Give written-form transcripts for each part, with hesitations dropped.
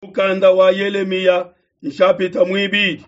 Mukanda wa Yelemiya nshapita muibidi.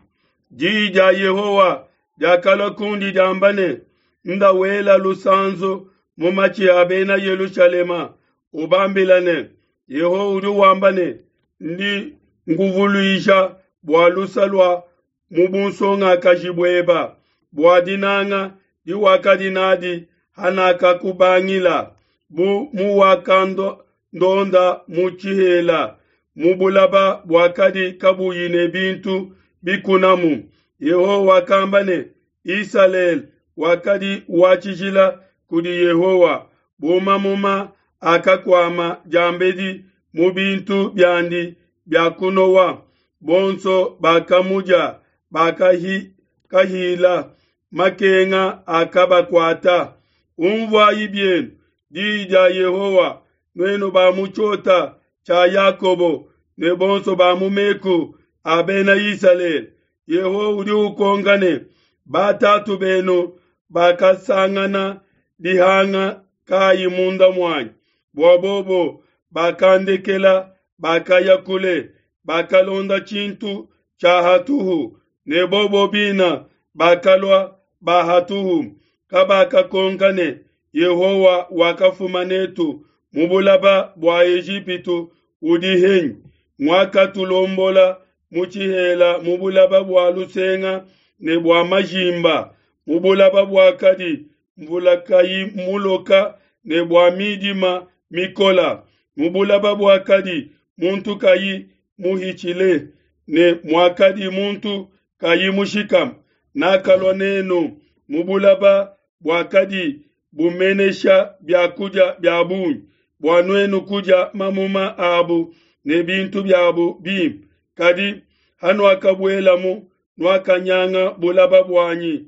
Diyi dia Yehowa diakalua kundi diamba ne, Nda wela lusanzu mu matshi a bena Yelushalema, ubambila ne, Yehowa udi wamba ne, Ndi nkuvuluija bua lusa lua mu bunsongakaji bueba, bua dinanga diwakadi nadi hanakakubangila, bu muwakandonda mu tshihela, mu bulaba buakadi kabuyi ne bintu bikunamu. Yehowa wakamba ne, Isalele wakadi wa tshijila kudi Yehowa, bu mamuma akakuama diambedi mu bintu biandi bia kunowa. Bonso bakamudia bakahila, makenga akabakuata. Unvuayi bienu diyi dia Yehowa, nuenu ba mu tshiota tshia Yakobo ne bonso ba mu meku a bena Isalele. Yehowa udi ukonka ne, Batatu benu bakasangana dihanga kayi munda muanyi, bua bobo bakandekela, bakaya kule, bakalonda tshintu tshia hatuhu, ne bobo bina bakalua ba hatuhu. Kabakakonka ne, Yehowa wakafuma netu mu bulaba bua Ejipitu udi henyi? Nguakatulombola mu tshihela mu bulaba bua lusenga ne bua majimba, mu bulaba buakadi mvula kayi muloka ne bua midima mikola, mu bulaba buakadi muntu kayi muhitshile ne muakadi muntu kayi mushikame. Nakalua nenu mu bulaba buakadi bumenesha bia kudia bia bungi, bua nuenu kudia mamuma abu ne bintu biabu bimpe. Kadi hanuakabuelamu, nuakanyanga bulaba buanyi,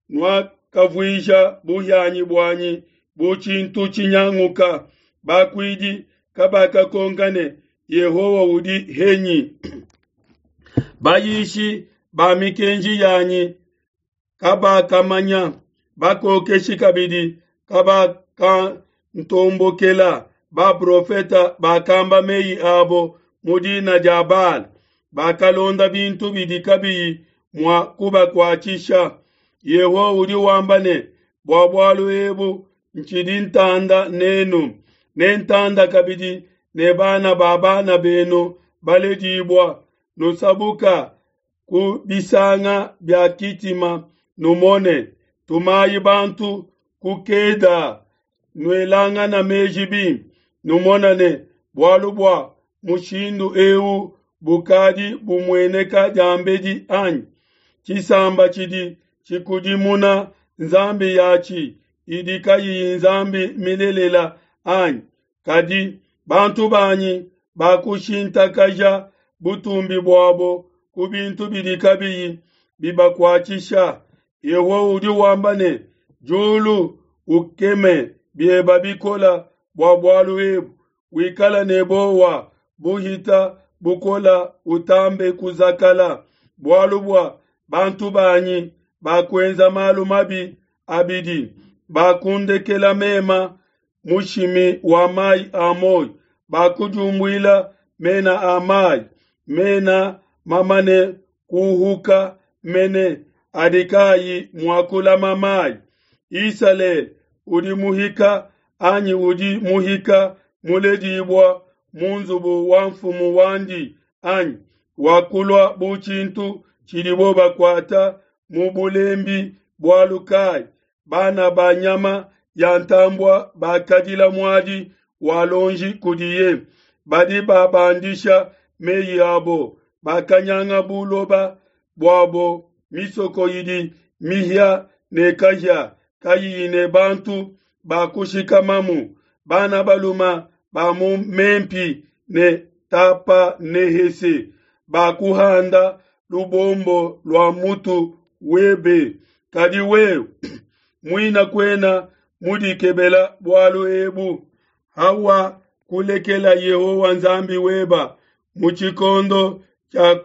nuakavuija buhianyi buanyi bu tshintu tshinyanguka. Bakuidi kabakakonka ne, Yehowa udi henyi? Bayishi ba mikenji yanyi kabakamanya, bakokeshi kabidi kabakantombokela. Baprofeta bakamba meyi abo mu dina dia Baala, bakalonda bintu bidi kabiyi mua kubakuatshisha. Yehowa udi wamba ne, Bua bualu ebu ntshidi ntanda nenu, nentanda kabidi ne bana ba bana benu baledibua. Nusabuka ku bisanga bia Kitima, numone. Tumayi bantu ku Keda, nuelangana meji bimpe, numona ne, bualu bua mushindu eu bukadi bumueneka diambedi anyi? Tshisamba tshidi tshikudimuna nzambi yatshi idi kayiyi nzambi milelela anyi? Kadi bantu banyi bakushintakaja butumbi buabo ku bintu bidi kabiyi bibakuatshisha. Yehowa udi wamba ne, Diulu ukeme bieba bikola bua bualu ebu, wikala ne bowa buhita bukola, utambe kuzakala, bualu bua bantu banyi bakuenza malu mabi abidi, bakundekela mema mushimi wa mai a muoyo, bakudiumbuila mena a mai, mena mamane kuhuka mene adi kayi mua kulama mai. Isalele udi muhika anyi udi muhika muledibua mu nzubu wa mfumu wandi anyi wakulua bu tshintu tshidibo bakuata mu bulembi bualu kai? Bana ba nyama ya ntambua bakadila muadi wa lonji kudiye, badi babandisha meyi abo, bakanyanga buloba buabo, misoko idi mihia ne kahia kayiyi ne bantu ba kushikamamu. Bana baluma ba mu Mempi ne Tapanehese bakuhanda lubombo lua mutu webe, kadi wewe muina kuena mudikebela bualu ebu. Hawa kulekela Yehowa Nzambi weba mu tshikondo tshia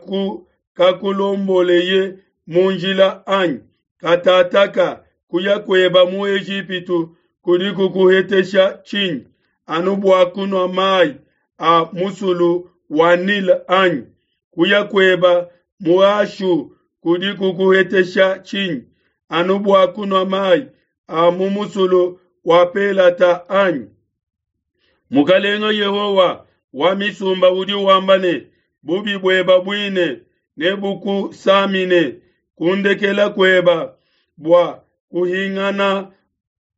kakulomboleye mu njila anyi? Katataka kuya kueba mu Ejipitu kudi kukuhetesha tshinyi? Anu bua kunua mai a musulu wa Nile anyi? Kuya kueba mu Ashu kudi kukuhetesha tshinyi? Anu bua kunua mayi a mu musulu wa Pelata anyi? Mukalenga Yehowa wa misumba udi wamba ne, bubi bueba buine nebukusamine kundekela kueba bua kuhingana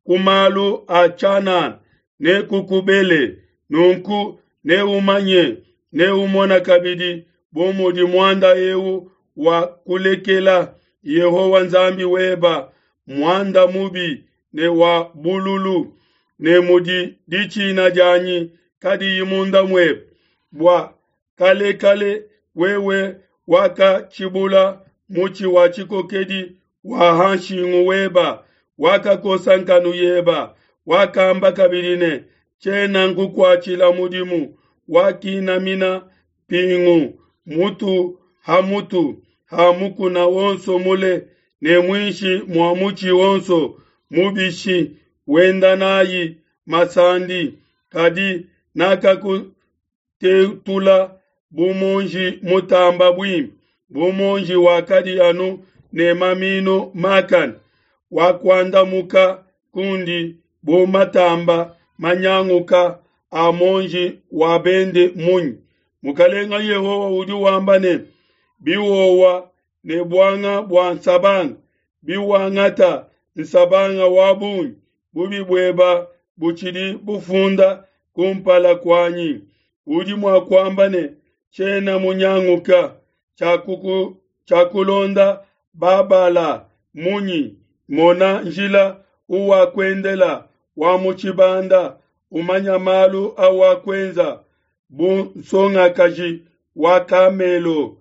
ku malu a tshianana nekukubele. Nunku neumanye, neumona kabidi bu mudi muanda eu wa kulekela Yehowa Nzambi weba muanda mubi ne wa bululu, ne mudi ditshina dianyi kadiyi munda muebe. Bua kalekale wewe wakatshibula mutshi wa tshikokedi wa ha nshingu weba, wakakosa nkanu yeba, wakamba kabidi ne, tshiena nkukuatshila mudimu, wakinamina mpingu mutu ha mutu ha mukuna wonso mule ne muinshi mua mutshi wonso mubishi, wenda nayi masandi. Kadi nakakutetula bu muonji mutamba buimpe, bu muonji wakadi anu ne maminu makane, wakuandamuka kundi bu matamba manyanguka a muonji wa bende munyi? Mukalenga Yehowa udi wamba ne, biwowa ne buanga bua nsabanga, biwangata nsabanga wa bungi, bubi bueba butshidi bufunda kumpala kuanyi. Udi mua kuamba ne, tshiena munyanguka, tshiakulonda Babala munyi? Mona njila uwakuendela wa mu tshibanda, umanya malu awakwenza bu nsongakaji wa kamelo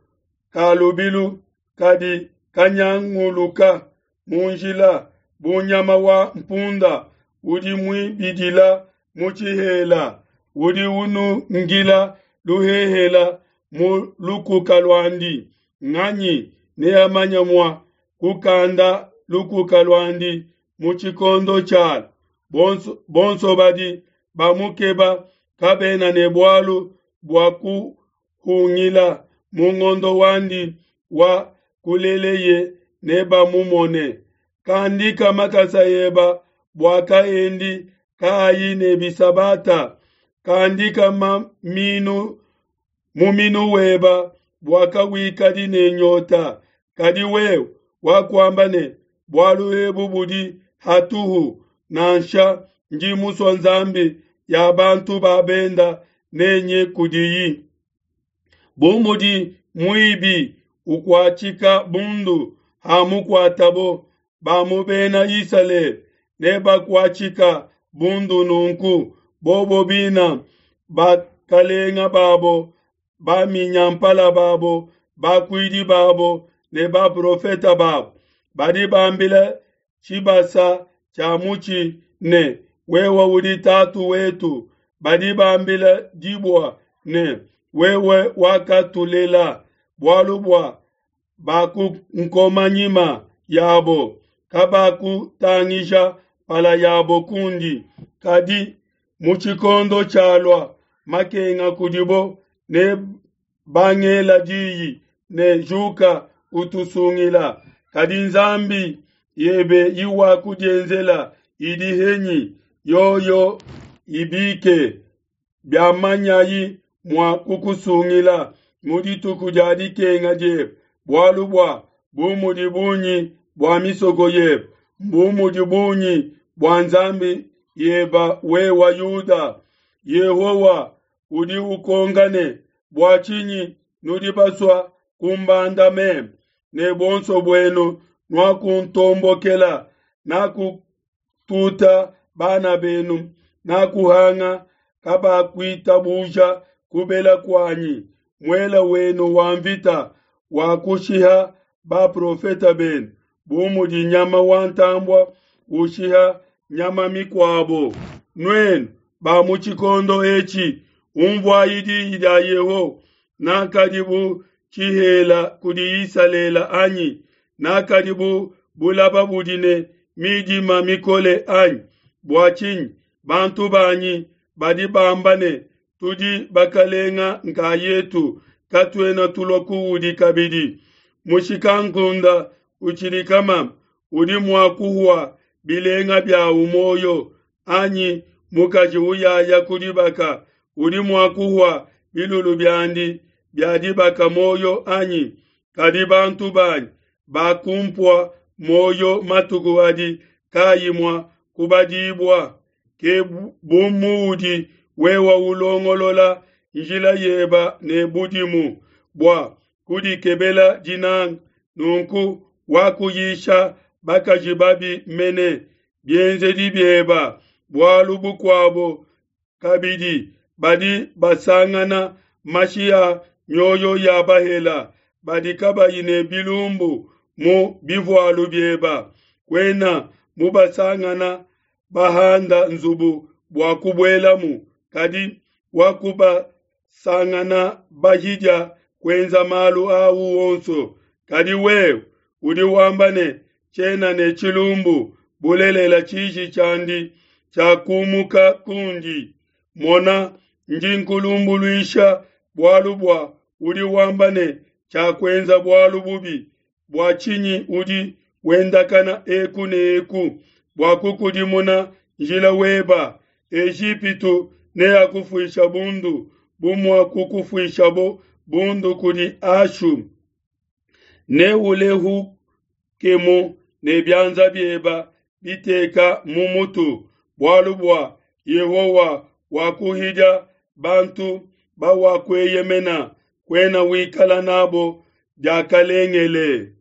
ka lubilu kadi kanyanguluka mu njila, bu nyama wa mpunda udi muibidila mu tshihela, udi unungila luhehela mu lukuka luandi. Nganyi neamanye mua kukanda lukuka luandi mu tshikondo tshialu? Bonso badi bamukeba kabena ne bualu bua kuhungila mu ngondo wandi wa kuleleye nebamumone. Kandika makasa eba bua kaendi kaayi ne bisabata, kandika muminu weba bua kawikadi ne nyota. Kadi wewe wakuamba ne, bualu ebu budi hatuhu, nansha ndi musua nzambi ya bantu ba benda nenye kudiyi. Bu mudi muibi ukuatshika bundu hamukuatabo, ba mu bena Isalele nebakuatshika bundu nunku, bobo bina bakalenga babo, baminyampala babo, bakuidi babo ne baprofeta babo, badi bambila tshibasa tshia mutshi ne, wewe udi tatu wetu. Badi bambila dibua ne, wewe wakatulela, bualu bua bakunkoma nyima yabo, kabakutangija mpala yabo kundi. Kadi mu tshikondo tshialua makenga kudibo, ne bangela diyi ne, juka utusungila. Kadi nzambi yebe iwakudienzela idi henyi? Yoyo ibike, biamanyayi mua kukusungila mu dituku dia dikenga diebe. Bualu bua bu mudi bungi bua misoko yebe, bu mudi bungi bua nzambi yeba wewa Yuda. Yehowa udi ukonka ne, bua tshinyi nudi basua kumbanda meme? Ne buonso buenu nuakuntombokela, nakututa bana benu, nakuhanga kabakuitabuja kubela kuanyi. Muela wenu wa mvita wakushiha baprofeta benu, bu mudi nyama wa ntambua ushiha nyama mikuabo. Nuenu ba mu tshikondo etshi, umvuayi diyi dia Yehowa. Nakadi bu tshihela kudi Isalele anyi? Nakadi bu bulaba budi ne midima mikole anyi? Bua tshinyi bantu banyi badi bamba ne, Tudi bakalenga nkayetu, katuena tulua kuudi kabidi. Mushikankunda utshidi kamama udi mua kuhua bilenga biawu muoyo, anyi mukaji uyaya ku dibaka udi mua kuhua bilulu biandi bia dibaka muoyo anyi? Kadi bantu banyi bakumpua muoyo matuku adi kaayi mua kubadibua. Ke bu muudi wewe ulongolola njila yeba ne budimu bua kudikebela dinanga, nunku wakuyisha bakaji babi mene bienzedi bieba. Bualu bukuabo kabidi, badi basangana mashi a mioyo ya bahela badi kabayi ne bilumbu mu bivualu bieba. Kuena mubasangana bahanda nzubu bua kubuelamu, kadi wakubasangana bahidia kuenza malu au onso. Kadi wewe udi wamba ne, Tshiena ne tshilumbu, bulelela tshiji tshiandi tshiakumuka kundi. Mona, ndi nkulumbuluisha bualu bua udi wamba ne, Tshiakuenza bualu bubi. Bua tshinyi udi wendakana eku ne eku bua kukudimuna njila weba? Ejipitu neakufuisha bundu bu muakukufuishabo bundu kudi Ashu. Neulehukemu ne bianza bieba biteka mu mutu, bualu bua Yehowa wakuhidia bantu bawakueyemena, kuena wikala nabo diakalengele.